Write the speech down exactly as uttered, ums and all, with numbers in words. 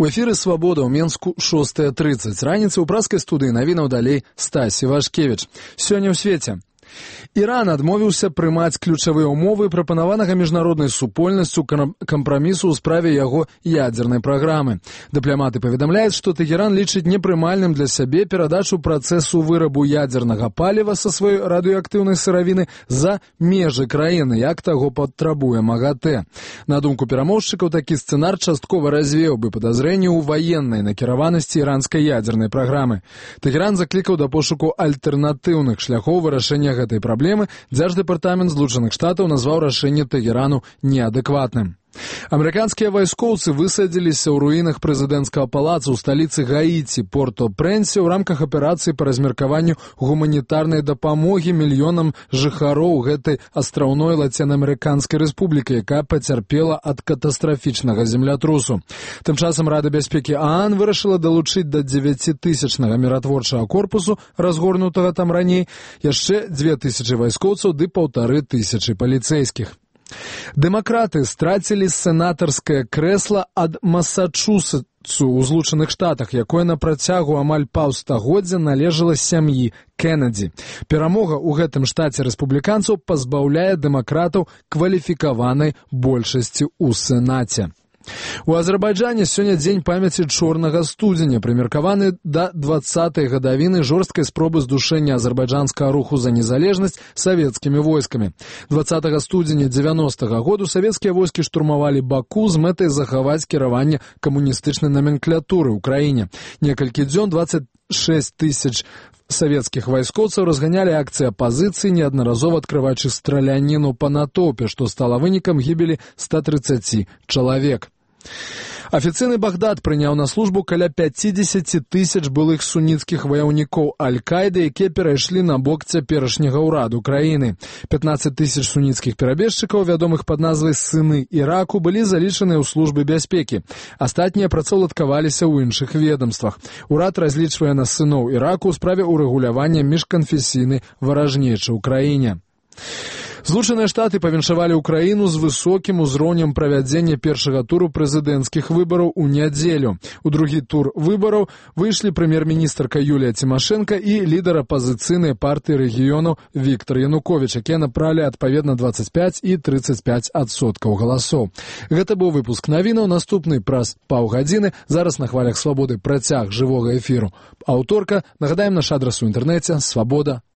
У эфіры «Свабода» ў Менску шостая трыццаць. Раніца ў праскай студыі навінаў далей Стасі Вашкевіч. Сёння ў свеце. Іран адмовіўся прымаць ключавыя ўмовы прапанаванага міжнароднай супольнасцю кампрамісу ў справе яго ядзернай праграмы. Дыпламаты паведамляюць, што Тэгеран лічыць непрымальным для сябе перадачу працэсу вырабу ядзернага паліва са сваёй радыеактыўнай сыравіны за межы краіны, як таго патрабуе МАГАТЭ. На думку перамоўшчыкаў, такі сцэнар часткова развеяў бы падазрэнні ў ваеннай накіраванасці іранскай ядзернай праграмы. Тэгеран заклікаў да пошуку альтэрнатыўных шляхоў вырашэння гэтай праблемы. Дзярждэпартамент Злучаных Штатаў назваў рашэнне Тэгерану неадэкватным. Амерыканскія вайскоўцы высадзіліся ў руінах прэзідэнцкага палаца ў сталіцы Гаіці, Порто-Прэнсе, ў рамках аперацыі па размеркаванню гуманітарнай дапамогі мільёнам жыхароў гэтай астраўной лацінаамерыканскай рэспублікі, якая пацярпела ад катастрафічнага землятрусу. Тым часам Рада бяспекі ААН вырашыла далучыць да дзевяцітысячнага міратворчага корпусу, разгорнутага там раней, яшчэ дзве тысячы вайскоўцаў ды паўтары тысячы паліцэйскіх. Дэмакраты страцілі сенатарскае крэсла ад Масачусетсу ў Злучаных Штатах, якое на працягу амаль паўстагоддзя належала сям'і Кеннеді. Перамога ў гэтым штаце рэспубліканцаў пазбаўляе дэмакратаў кваліфікаванай большасці ў Сенаце. У Азербайджане сёння дзень памяці чорнага студзеня, прымеркаваны да дваццатай гадавіны жорсткай спробы здушэння азербайджанскага руху за незалежнасць савецкімі войскамі. дваццатага студзеня дзевяностага году савецкія войскі штурмавалі Баку з мэтай захаваць кіраванне камуністычнай наменклатуры ў краіне. Некалькі дзён дваццаць шэсць тысяч савецкіх вайскоўцаў разганялі акцыі апазіцыі, неаднаразова адкрываючы страляніну па натоўпе, што стала вынікам гібелі ста трыццаці чалавек. Афіцыйны Багдад прыняў на службу каля пяцідзесяці тысяч былых суніцкіх ваяўнікоў Аль-Каіды, якія перайшлі на бок цяперашняга ўраду краіны. пятнаццаць тысяч суніцкіх перабежчыкаў, вядомых пад назвай «Сыны Іраку», былі залічаныя ў службы бяспекі. Астатнія працаўладкаваліся ў іншых ведомствах. Урад разлічвае на сыноў Іраку ў справе ўрэгулявання міжканфесійнай варажнечы ў краіне. Злучаныя Штаты павіншавалі ўкраіну з высокім узроўнем правядзення першага туру прэзідэнцкіх выбараў у нядзелю. У другі тур выбараў выйшлі прэм'ер-міністрка Юлія Цімашэнка і лідар апазіцыйнай партыі рэгіёнаў Віктар Януковіч, якія набралі адпаведна дваццаць пяць і трыццаць пяць адсоткаў галасоў. Гэта быў выпуск навінаў, наступны праз паўгадзіны. Зараз на хвалях Свабоды працяг жывога эфіру. Аўторка, нагадаем наш адрас у інтэрнэце свабода